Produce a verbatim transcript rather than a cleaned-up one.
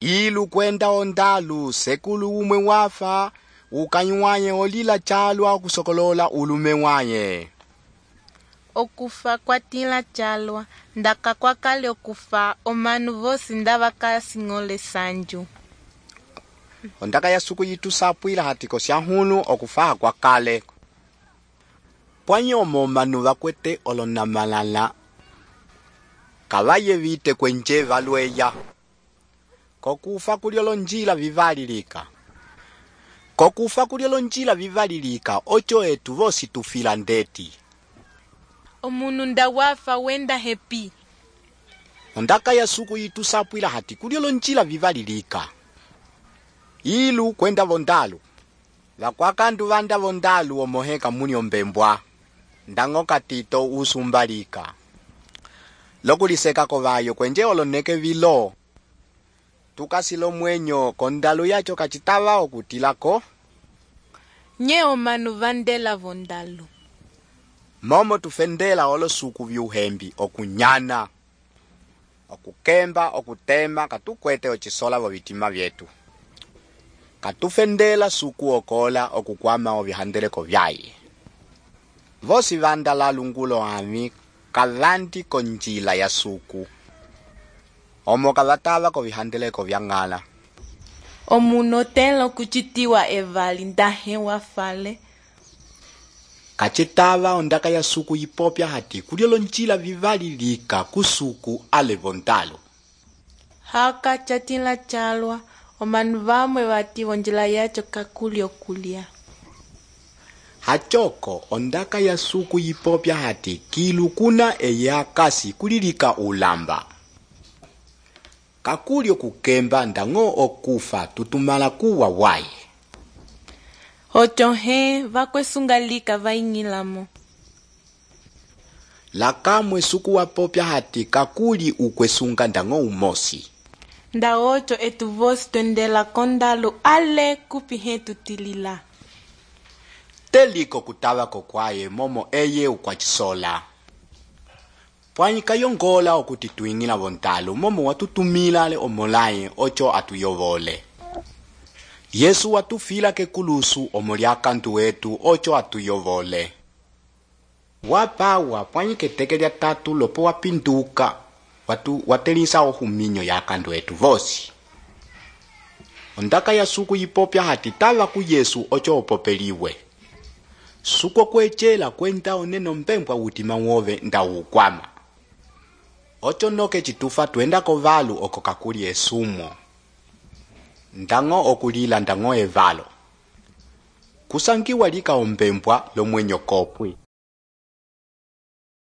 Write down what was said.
Ilu kwenda ondalu sekulu umwe wafa ukanywaye olila chalwa okusokolola ulume waye. Okufa kwatila chalwa ndaka kwakale okufa omanu vosi ndavakasing'ole sanju. Ondaka ya suku yitu sapwila hatiko syahunu okufaha kwakale. Pwanyomo manu vakwete olonamalala kavaye vite kwenje valweya. Kokufa kuliolo njila vivalilika. Kokufa kuliolo njila vivalilika ocho etu vosi tufila ndeti. Omunu nda wafa wenda hepi. Ondaka ya suku yitu sapwila hati kuliolo njila vivalilika. Ilu kwenda vondalu. Vakwakandu vanda vondalu omoheka muni ombembwa. Ndango katito usumbalika. Lokuliseka kovayo kwenje oloneke vilo. Tukasilo mwenyo kondalu yacho kachitava okutilako. Nye omanu vandela vondalu. Momo tufendela olo suku vyuhembi okunyana. Okukemba, okutema, katukwete ochisola vo vitima vyetu. Katufendela suku okola okukwama ovihandeleko vyaye. Vosi vanda la lungulo ami kavanti konjila ya suku. Omo kavatava ko vihandeleko vyangala. Omuno telo kuchitiwa evali ndahe wafale. Kachitava ondaka ya suku yipopya hati kuliolo njila vivalilika kusuku ale vondalu. Haka chatila chalwa omanu vamwe vati vonjila yacho kakuli okulia. Hachoko ondaka ya suku yipopya hati kilu kuna eya kasi kulilika ulamba. Kakuli okukemba ndango okufa tutumala kuwa waye. Ocho he vakwesungalika vaingilamo. Lakamwe suku wapopya hati kakuli ukwesunga ndango umosi. Nda ocho etu vosi twendela kondalu ale kupi he tutilila. Teliko kutava kokwaye momo eye ukwachisola. Pwanyi kayongola okuti tuingila vontalu momo watutumila ale omolaye ocho atuyovole. Yesu watufila kekulusu omoliaka ntu wetu ocho atuyovole. Wapawa pwanyi keteke lya tatu lopo wapinduka watu watelisa ohuminyo ya kandu wetu vosi. Ondaka ya suku yipopya hati tava ku Yesu ocho opopeliwe. Suko kwechela kwenda oneno mbembwa utima wove nda ukwama. Ocho noke chitufa tuenda kovalu oko kakuli esumo. Ndango okulila ndango evalo. Kusangiwa lika ombembwa lo mwenyo kopwi.